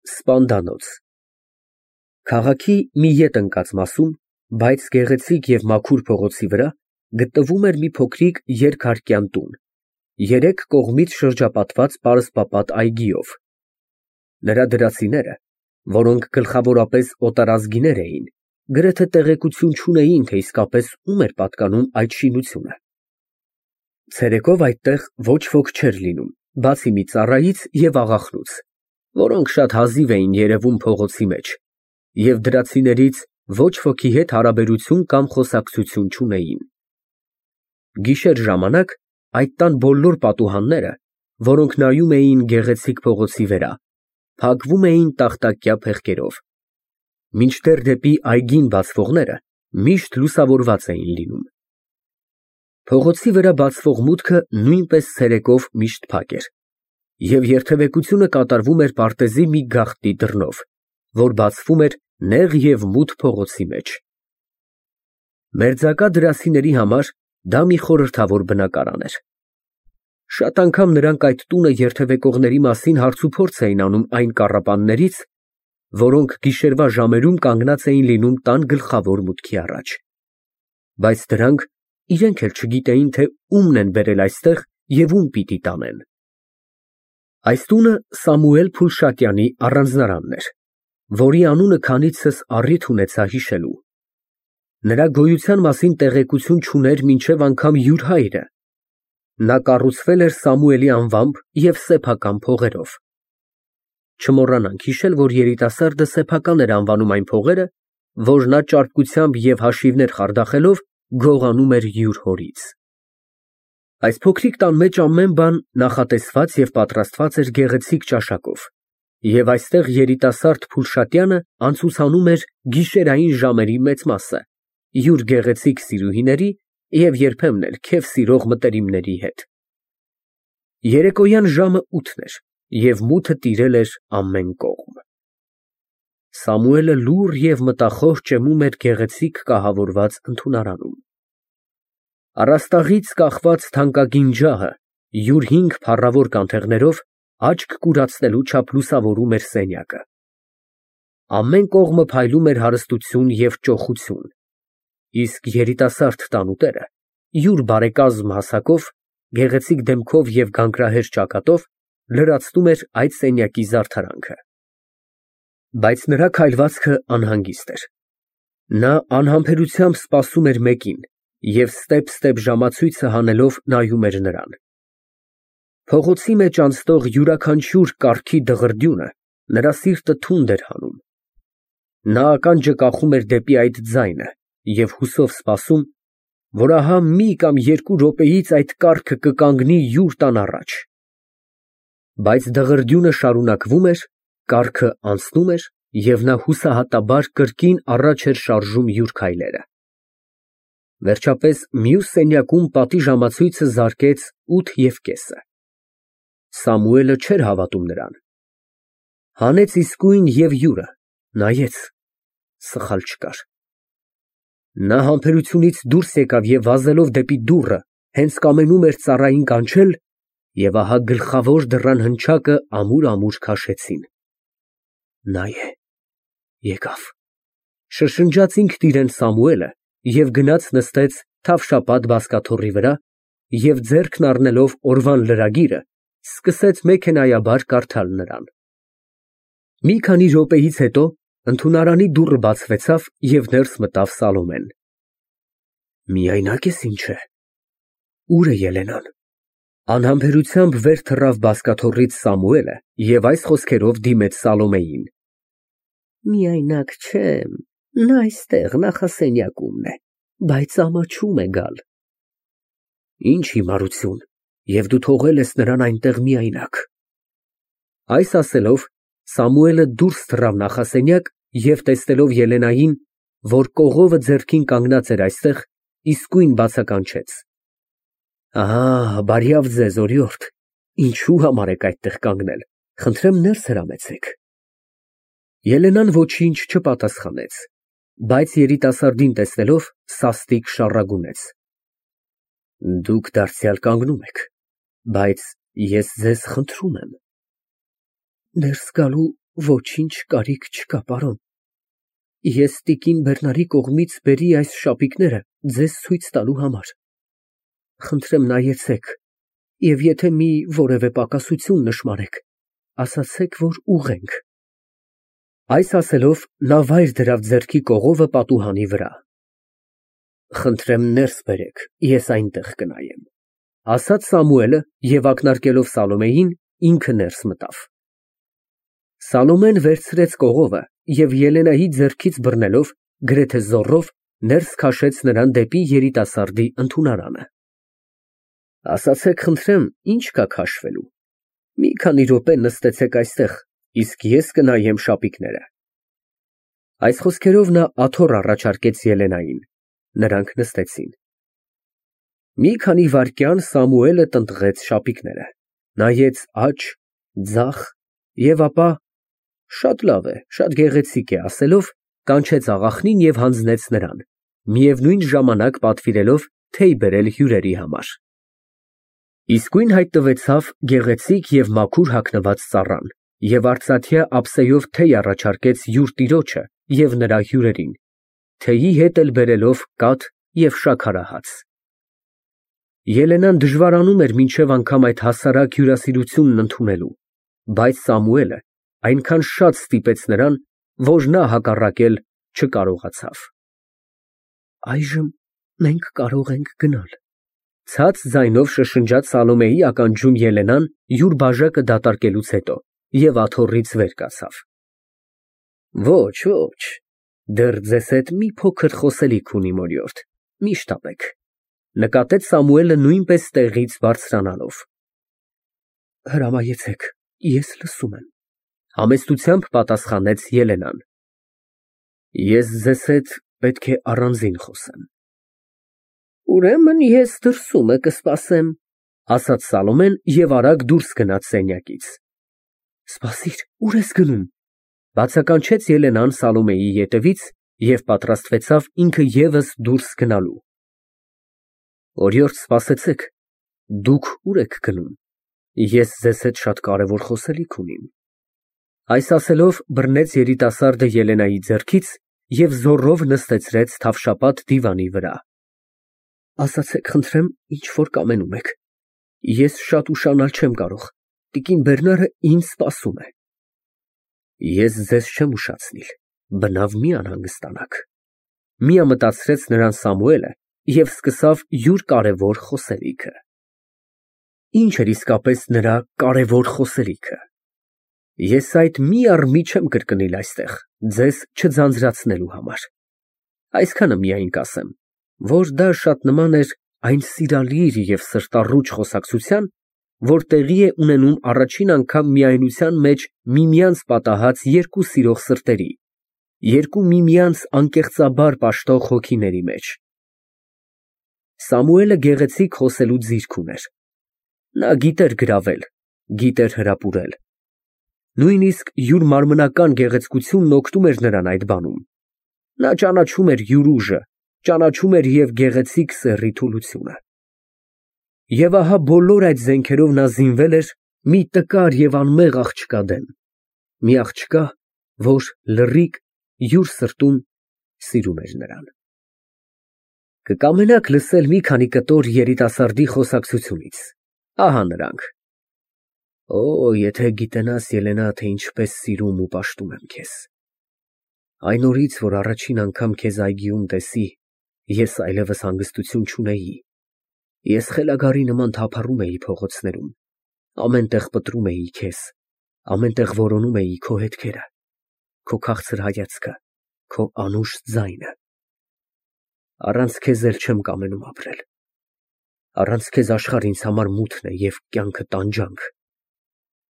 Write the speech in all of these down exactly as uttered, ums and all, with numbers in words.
Սպանդանոց Քաղաքի մի ետ ընկած մասում, բայց գեղեցիկ և մաքուր փողոցի վրա գտնվում էր մի փոքրիկ երկհարկյան տուն, երեք կողմից շրջապատված պարսպապատ այգիով. նրա դրացիները, որոնք գլխավորապես օտարազգիներ էին, գրեթե տեղեկություն չունեին, թե իսկապես ում էր պատկանում այդ շինությունը. ցերեկով այդտեղ ոչ ոք չէր լինում, բացի մի ծառայից և աղախնուց, որոնք շատ հազիվ էին երևում փողոցի մեջ, և դրացիներից ոչ ոքի հետ հարաբերություն կամ խոսակցություն չունեին. Գիշեր ժամանակ այդ տան բոլոր պատուհանները, որոնք նայում էին գեղեցիկ փողոցի վրա, փակվում էին տախտակյա փեղկերով, մինչդեռ դեպի այգին բացվողները միշտ լուսավորված էին լինում. Փողոցի վրա բացվող մուտքը նույնպես ցերեկով միշտ փակ էր, և երթևեկությունը կատարվում էր պարտեզի մի գաղտնի դռնով, որ բացվում էր նեղ և մութ փողոցի մեջ. Մերձակա դրացիների համար դա մի խորհրդավոր բնակարան էր. շատ անգամ նրանք այդ տունը երթևեկողների մասին հարցուփորձ էին անում այն կառապաններից, որոնք գիշերվա ժամերում կանգնած էին լինում տան գլխավոր մուտքի առաջ, բայց դրանք իրենք էլ չգիտեին, թե ումն են բերել այստեղ և ում պիտի տանեն. Այս տունը Սամուել Փուլշատյանի առանձնարանն էր, որի անունը քանիցս առիթ ունեցա հիշելու. նրա գոյության մասին տեղեկություն չուներ մինչև անգամ յուր հայրը. նա կառուցվել էր Սամուելի անվամբ և սեփական փողերով. չմոռանանք հիշել, որ երիտասարդը սեփական էր անվանում այն փողերը, որ նա ճարպկությամբ և հաշիվներ խարդախելով գողանում էր յուր հորից. Այս փոքրիկ տան մեջ ամեն բան նախատեսված և պատրաստված էր գեղեցիկ ճաշակով, և այստեղ երիտասարդ Փուլշատյանը անցուցանում էր գիշերային ժամերի մեծ մասը յուր գեղեցիկ սիրուհիների և երբեմն էլ քեֆ սիրող մտերիմների հետ. երեկոյան ժամը ութն էր, և մութը տիրել էր ամեն կողմ. Սամուելը լուռ և մտախոհ ճեմում էր գեղեցիկ կահավորված ընդունարանում. առաստաղից կախված թանկագին ջահը յուր հինգ փառավոր կանթեղներով աչք կուրացնելու չափ լուսավորում էր սենյակը. ամեն կողմը փայլում էր հարստություն և ճոխություն, իսկ երիտասարդ տանուտերը յուր բարեկազմ հասակով, գեղեցիկ դեմքով և գանգրահեր ճակատով լրացնում էր այդ սենյակի զարդարանքը. Բայց նրա քայլվածքը անհանգիստ էր. նա անհամբերությամբ սպասում էր մեկին և ստեպ֊ստեպ ժամացույցը հանելով նայում էր նրան. փողոցի մեջ անցնող յուրաքանչյուր կառքի դղրդյունը նրա սիրտը թունդ էր հանում. նա ականջը կախում էր դեպի այդ ձայնը և հուսով սպասում, որ ահա մի կամ երկու րոպեից այդ կառքը կկանգնի յուր տան առաջ. բայց դղրդյունը շարունակվում էր, կառքը անցնում էր, և նա հուսահատաբար կրկին առաջ էր շարժում յուր քայլերը: Վերջապես մյուս սենյակում պատի ժամացույցը զարկեց ութ և կեսը: Սամուելը չէր հավատում նրան. հանեց իսկույն և յուրը, նայեց, սխալ չկար: Նա համբերությունից դուրս եկավ և վազելով դեպի դուռը հենց կամենում էր ծառային կանչել, և ահա գլխավոր դռան հնչակը ամուր֊ամուր քաշեցին: Նա է, եկավ, շշնջաց ինքն իրան Սամուելը և գնաց նստեց թավշապատ բազկաթոռի վրա և ձեռքն առնելով օրվան լրագիրը, սկսեց մեքենայաբար կարդալ նրան: Մի քանի րոպեից հետո ընդունարանի դուռը բացվեցավ և ներս մտավ Սալոմեն: Միայնա՞կ ես, ինչ է, ո՞ւր է Ելենան: Անհամբերությամբ վեր թռավ բազկաթոռից Սամուելը և այս խոսքերով դիմեց Սալոմեյին. միայնակ չեմ, նա այստեղ նախասենյակումն է, բայց ամաչում է գալ: Ինչ հիմարություն, և դու թողել ես նրան այնտեղ միայնակ: Այս ասելով Սամուելը դուրս թռավ նախասենյակ և տեսնելով Ելենային, որ կողովը ձեռքին կանգնած էր այստեղ, իսկույն բացականչեց. ահա, բարյավ ձեզ, օրիորդ, ինչու համար եք այդտեղ կանգնել, խնդրեմ ներս հրամեցեք: Ելենան ոչինչ չպատասխանեց, բայց երիտասարդին տեսնելով սաստիկ շառագունեց. դուք դարձյալ կանգնում եք, բայց ես ձեզ խնդրում եմ: ներս գալու Ոչինչ կարիք չկա, պարոն։ Ես տիկին Բեռնարի կողմից բերի այս շապիկները ձեզ ցույց տալու համար։ Խնդրեմ նայեցեք, և եթե մի որևէ պակասություն նշմարեք, ասացեք, որ ուղղենք։ Այս ասելով, նա վայր դրավ ձեռքի կողովը պատուհանի վրա։ Խնդրեմ ներս բերեք, ես այնտեղ կնայեմ, ասաց Սամուելը և ակնարկելով Սալոմեյին, ինքը ներս մտավ։ Սալոմեն վերցրեց կողովը և Ելենայի ձեռքից բռնելով, գրեթե զոռով, ներս քաշեց նրան դեպի երիտասարդի ընդունարանը։ Ասացեք, խնդրեմ, ինչ կա քաշվելու։ Մի քանի րոպե նստեցեք այստեղ, իսկ ես կնայեմ շապիկները։ Այս խոսքերով նա աթոռ առաջարկեց Ելենային։ Նրանք նստեցին։ Մի քանի վայրկյան Սամուելը տնտղեց շապիկները, նայեց աջ, ձախ և ապա շատ լավ է, շատ գեղեցիկ է ասելով, կանչեց աղախնին և հանձնեց նրան, միևնույն ժամանակ պատվիրելով թեյ բերել հյուրերի համար։ Իսկույն հայտնվեցավ գեղեցիկ և մաքուր հագնված ծառան և արծաթյա ափսեով թեյ առաջարկեց յուր տիրոջը և նրա հյուրերին, թեյի հետ էլ բերելով կաթ և շաքարահաց։ Ելենան դժվարանում էր մինչև անգամ այդ հասարակ հյուրասիրությունն ընդունելու, բայց Սամուելը այնքան շատ ստիպեց նրան, որ նա հակառակել չկարողացավ։ Այժմ մենք կարող ենք գնալ, ցած ձայնով շշնջաց Սալոմեի ականջում Ելենան յուր բաժակը դատարկելուց հետո և աթոռից վեր կացավ։ Ոչ, ոչ, դեռ ձեզ հետ մի փոքր խոսելիք ունի, մորյորդ, մի շտապեք, նկատեց Սամուելը նույնպես տեղից բարձրանալով։ Հրամայեցեք, ես լսում եմ, համեստությամբ պատասխանեց Ելենան։ Ես ձեզ հետ պետք է առանձին խոսեմ։ Ուրեմն ես դրսումը կսպասեմ, ասաց Սալոմեն և արագ դուրս գնաց սենյակից։ Սպասիր, ուր ես գնում, բացականչեց Ելենան Սալոմեի ետևից և պատրաստվեցավ ինքը ևս դուրս գնալու։ Օրիորդ, սպասեցեք, դուք ուր եք գնում, ես ձեզ հետ շատ կարևոր խոսելիք ունիմ։ Այս ասելով բռնեց երիտասարդը Ելենայի ձեռքից և զոռով նստեցրեց թավշապատ դիվանի վրա։ Ասացեք, խնդրեմ, ինչ որ կամենում եք։ Ես շատ ուշանալ չեմ կարող, տիկին Բեռնարը ինձ սպասում է։ Ես ձեզ չեմ ուշացնիլ, բնավ մի անհանգստանաք, միամտածրեց նրան Սամուելը և սկսավ յուր կարևոր խոսելիքը։ Ինչ էր իսկապես նրա կարևոր խոսելիքը։ Ես այդ մի առ մի չեմ կրկնիլ այստեղ, ձեզ չձանձրացնելու համար։ Այսքանը միայն կասեմ, որ դա շատ նման էր այն սիրալիր և սրտառուչ խոսակցության, որ տեղի է ունենում առաջին անգամ միայնության մեջ միմյանց պատահած երկու սիրող սրտերի, երկու միմյանց անկեղծաբար պաշտող հոգիների մեջ։ Սամուելը գեղեցիկ խոսելու ձիրք ուներ։ Նա գիտեր գրավել, գիտեր հրապուրել։ Նույնիսկ յուր մարմնական գեղեցկությունն օգնում էր նրան այդ բանում։ Նա ճանաչում էր յուր ուժը, ճանաչում էր և գեղեցիկ սեռի թուլությունը։ Եվ ահա բոլոր այդ զենքերով նա զինվել էր մի տկար և անմեղ աղջկա դեմ, մի աղջկա, որ լռիկ յուր սրտում սիրում էր նրան։ Կկամենաք լսել մի քանի կտոր երիտասարդի խոսակցությունից, ահա նրանք։ Օ, եթե գիտենաս, Ելենա, թե ինչպես սիրում ու պաշտում եմ քեզ։ Այն օրից, որ առաջին անգամ քեզ այգիում տեսի, ես այլևս հանգստություն չունեի։ Ես խելագարի նման թափառում էի փողոցներում, ամեն տեղ պտրում էի քեզ, ամեն տեղ որոնում էի քո հետքերը, քո քաղցր հայացքը, քո անուշ ձայնը։ Առանց քեզ էլ չեմ կամենում ապրել։ Առանց քեզ աշխարհն ինձ համար մութն է և կյանքը տանջանք։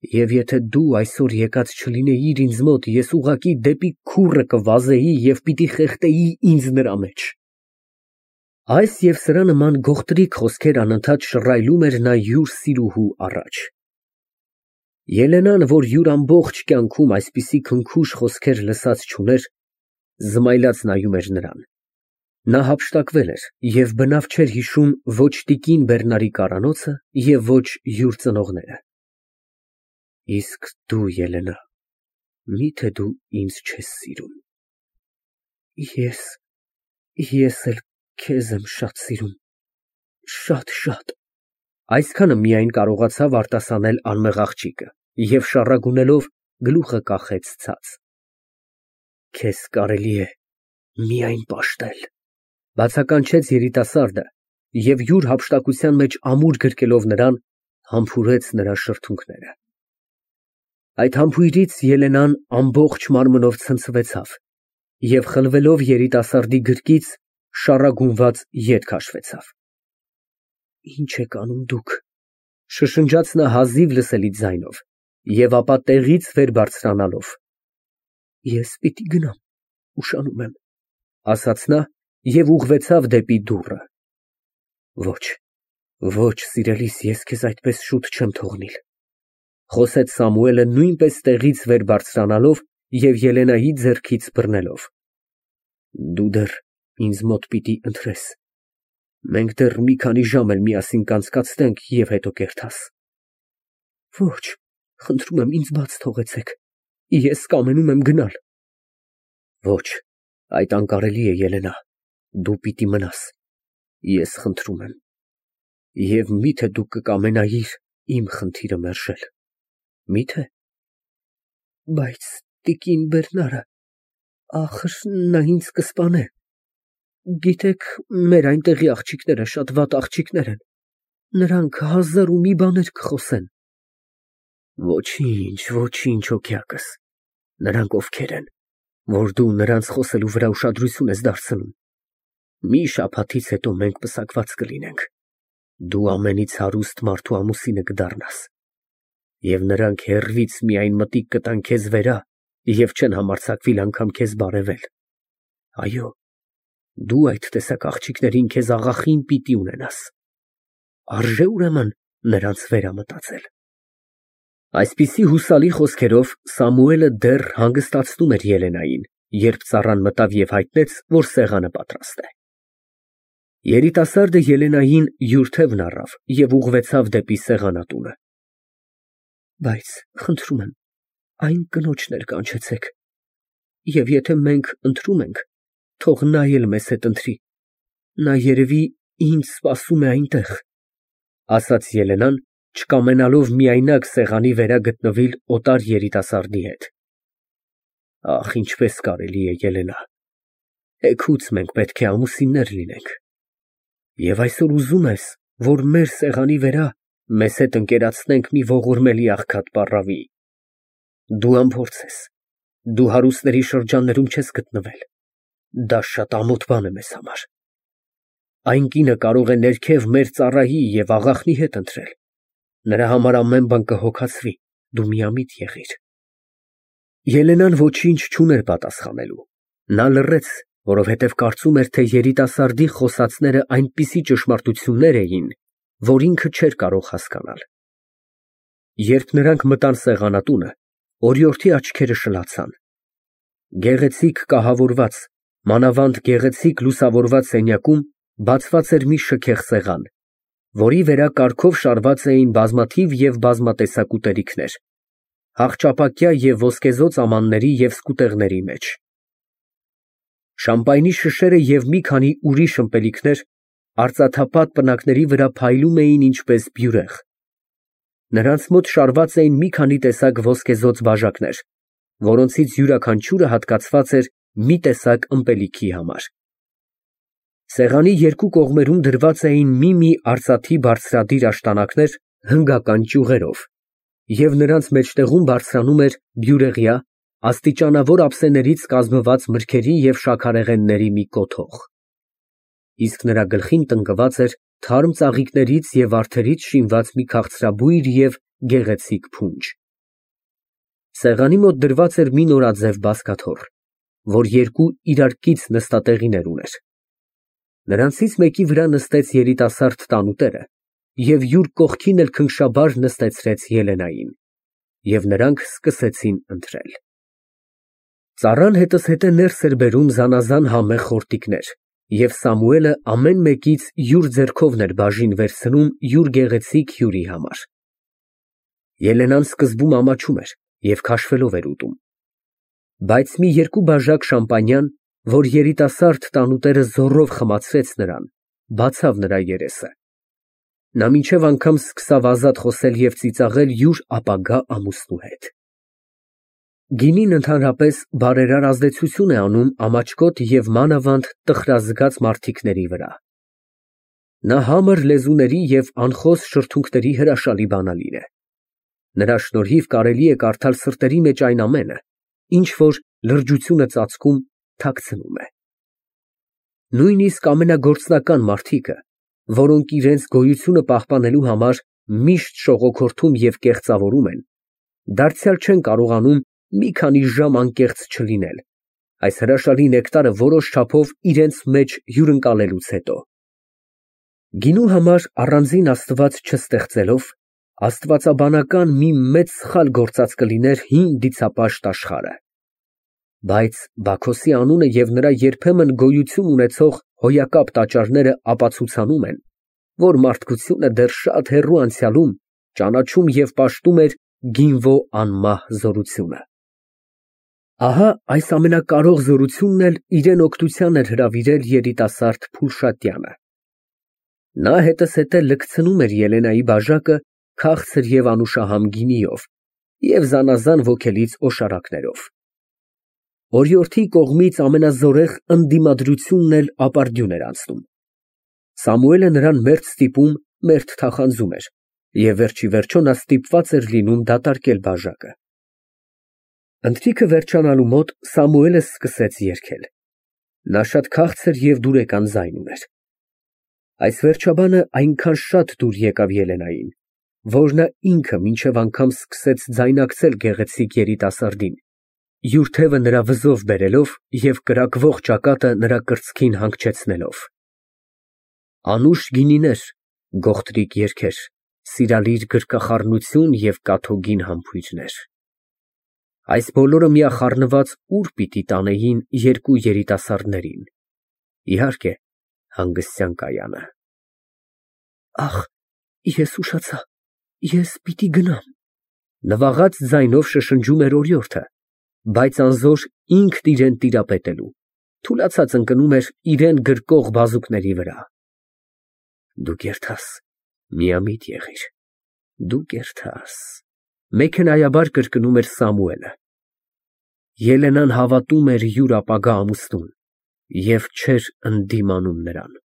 Եվ եթե դու այսօր եկած չլինեիր ինձ մոտ, ես ուղղակի դեպի քուռը կվազեի և պիտի խեղդեի ինձ նրա մեջ։ Այս և սրա նման գողտրիկ խոսքեր անընդհատ շռայլում էր նա յուր սիրուհու առաջ։ Ելենան, որ յուր ամբողջ կյանքում այսպիսի քնքուշ խոսքեր լսած չուներ, զմայլած նայում էր նրան։ Նա հափշտակվել էր և բնավ չէր հիշում ոչ տիկին Բեռնարի կարանոցը և ոչ յուր ծնողները։ Իսկ դու, Ելենա, Միթե դու ինձ չես սիրում։ Ես, ես էլ քեզ եմ շատ սիրում, շատ։ Այսքանը միայն կարողացավ արտասանել անմեղ աղջիկը և շառագունելով գլուխը կախեց ցած։ Քեզ կարելի է միայն պաշտել, բացականչեց երիտասարդը և յուր հափշտակության մեջ ամուր գրկելով նրան, համբուրեց նրա շրթունքները։ Այդ համբույրից Ելենան ամբողջ մարմնով ցնցվեցավ և խլվելով երիտասարդի գրկից շառագունված ետ քաշվեցավ։ Ինչ եք անում դուք, շշնջաց նա հազիվ լսելի ձայնով և ապա տեղից վեր բարձրանալով։ Ես պիտի գնամ, ուշանում եմ, ասաց նա և ուղղվեցավ դեպի դուռը։ Ոչ, ոչ, սիրելիս, ես քեզ այդպես շուտ չեմ թողնիլ, խոսեց Սամուելը նույնպես տեղից վեր բարձրանալով և Ելենայի ձեռքից բռնելով։ Դու դեռ ինձ մոտ պիտի ընթրես, մենք դեռ մի քանի ժամ էլ միասին կանցկացնենք և հետո կերթաս։ Ոչ, խնդրում եմ, ինձ բաց թողեցեք, ես կամենում եմ գնալ։ Ոչ, այդ անկարելի է, Ելենա, դու պիտի մնաս, ես խնդրում եմ, և միթե դու կկամենայիր իմ խնդիրը մերժել, մի՞թե։ Բայց տիկին Բերնարը, ախր նա ինձ կսպանե, գիտեք, մեր այնտեղի աղջիկները շատ վատ աղջիկներ են, նրանք հազար ու մի բաներ կխոսեն։ Ոչինչ, ոչինչ, հոգյակս, նրանք ովքեր են, որ դու նրանց խոսելու վրա ուշադրություն ես դարձնում։ Մի շաբաթից հետո մենք պսակված կլինենք, դու ամենից հարուստ մարդու ամուսինը կդառնաս, և նրանք հեռվից միայն մտիկ կտան քեզ վերա և չեն համարձակվիլ անգամ քեզ բարևել։ Այո, դու այդ տեսակ աղջիկներին քեզ աղախին պիտի ունենաս, արժե ուրեմն նրանց վերամտածել։ Այսպիսի հուսալի խոսքերով Սամուելը դեռ հանգստացնում էր Ելենային, երբ ծառան մտավ և հայտնեց, որ սեղանը պատրաստ է։ Երիտասարդը Ելենային յուր թևն առավ և ուղղվեցավ դեպի սեղանատունը։ Բայց խնդրում եմ, այն կնոջն էլ կանչեցեք, և եթե մենք ընտրում ենք, թող նա էլ մեզ հետ ընտրի, նա երևի ինձ սպասում է այնտեղ, ասաց Ելենան, չկամենալով միայնակ սեղանի վերա գտնվել օտար երիտասարդի հետ։ Ախ, ինչպես կարելի է, Ելենա, էգուց մենք պետք է ամուսիններ լինենք, և այսօր ուզում ես, որ մեր սեղանի վերա մեզ հետ ընկերացնենք մի ողորմելի աղքատ պառավի։ Դու անփորձ ես, դու հարուստների շրջաններում չես գտնվել, դա շատ ամոթ բան է մեզ համար։ Այն կինը կարող է ներքև մեր ծառայի և աղախնի հետ ընտրել, նրա համար ամեն բան կհոգացվի, դու միամիտ եղիր։ Ելենան ոչինչ չուներ պատասխանելու, նա լռեց, որովհետև կարծում էր, թե երիտասարդի խոսածները այնպիսի ճշմարտություններ էին, որ ինքը չէր կարող հասկանալ։ Երբ նրանք մտան սեղանատունը, օրիորդի աչքերը շլացան։ Գեղեցիկ կահավորված, մանավանդ գեղեցիկ լուսավորված սենյակում բացված էր մի շքեղ սեղան, որի վրա կարգով շարված էին բազմաթիվ և բազմատեսակ ուտելիքներ, հաղճապակյա և ոսկեզօծ ամանների և սկուտեղների մեջ։ Շամպայնի շշերը և մի քանի ուրիշ ըմպելիքներ արծաթապատ պնակների վրա փայլում էին ինչպես բյուրեղ։ Նրանց մոտ շարված էին մի քանի տեսակ ոսկեզօծ բաժակներ, որոնցից յուրաքանչյուրը հատկացված էր մի տեսակ ըմպելիքի համար։ Սեղանի երկու կողմերում դրված էին մի֊մի արծաթի բարձրադիր աշտանակներ հնգական ճյուղերով, և նրանց մեջտեղում բարձրանում էր բյուրեղյա, աստիճանավոր ափսեներից կազմված մրգերի և շաքարեղենների մի կոթող, իսկ նրա գլխին տնկված էր թարմ ծաղիկներից և վարդերից շինված մի քաղցրաբույր և գեղեցիկ փունջ։ Սեղանի մոտ դրված էր մի նորաձև բազկաթոռ, որ երկու իրար կից նստատեղիներ ուներ։ Նրանցից մեկի վրա նստեց երիտասարդ տանուտերը և յուր կողքին էլ քնքշաբար նստեցրեց Ելենային, և նրանք սկսեցին ընթրել։ Ծառան հետզհետե ներս էր բերում զանազան համեղ խորտիկներ, և Սամուելը ամեն մեկից յուր ձեռքովն էր բաժին վերցնում յուր գեղեցիկ հյուրի համար։ Ելենան սկզբում ամաչում էր և քաշվելով էր ուտում, Բայց մի երկու բաժակ շամպանյան, որ երիտասարդ տանուտերը զոռով խմացրեց նրան, բացավ նրա երեսը։ Նա մինչև անգամ սկսավ ազատ խոսել և ծիծաղել յուր ապագա ամուսնու հետ։ Գինին ընդհանրապես բարերար ազդեցություն է անում ամաչկոտ և մանավանդ տխրազգաց մարդիկների վրա։ Նա համր լեզուների և անխոս շրթունքների հրաշալի բանալին է։ Նրա շնորհիվ կարելի է կարդալ սրտերի մեջ այն ամենը, ինչ որ լրջությունը ծածկում, թաքցնում է։ Նույնիսկ ամենագործնական մարդիկը, որոնք իրենց գոյությունը պահպանելու համար միշտ շողոքորթում և կեղծավորում են, դարձյալ չեն կարողանում մի քանի ժամ անկեղծ չլինել, այս հրաշալի նեկտարը որոշ չափով իրենց մեջ հյուրընկալելուց հետո։ Գինու համար առանձին աստված չստեղծելով, աստվածաբանական մի մեծ սխալ գործած կլիներ հին դիցապաշտ աշխարհը։ Բայց Բաքոսի անունը և նրա երբեմն գոյություն ունեցող հոյակապ տաճարները ապացուցանում են, որ մարդկությունը դեռ շատ հեռու անցյալում ճանաչում և պաշտում էր Գինվո անմահ զորությունը։ Ահա այս ամենակարող զորությունն էլ իրան օգնության էր հրավիրել երիտասարդ Փուլշատյանը։ Նա հետզհետե լքցնում էր Ելենայի բաժակը քաղցր և անուշահամ գինիով և զանազան ոգելից օշարակներով։ Օրիորդի կողմից ամենազորեղ ընդդիմադրությունն էլ ապարդյուն էր անցնում։ Սամուելը նրան մերթ ստիպում, մերթ թախանձում էր, և վերջիվերջո նա ստիպված էր լինում դատարկել բաժակը։ Ընթրիքը վերջանալու մոտ Սամուելը սկսեց երգել։ Նա շատ քաղցր և դուրեկան ձայն ուներ։ Այս վերջաբանը այնքան շատ դուր եկավ Ելենային, որ նա ինքը մինչև անգամ սկսեց ձայնակցել գեղեցիկ երիտասարդին, յուր թևը նրա վզով բերելով և կրակվող ճակատը նրա կրծքին հանգչեցնելով։ Անուշ գինիներ, գողտրիկ երգեր, սիրալիր գրկախառնություն և կաթոգին համբույրներ։ Այս բոլորը միախառնված ուր պիտի տանեին երկու երիտասարդներին։ Իհարկե, հանգստյան կայանը։ Ախ, ես ուշացա, ես պիտի գնամ, նվաղած ձայնով շշնջում էր օրիորդը, բայց անզոր ինքն իրան տիրապետելու, թուլացած ընկնում էր իրան գրկող բազուկների վրա։ Դու կերթաս, միամիտ եղիր, դու կերթաս, մեքենայաբար կրկնում էր Սամուելը։ Ելենան հավատում էր յուր ապագա ամուսնուն և չէր ընդդիմանում նրան։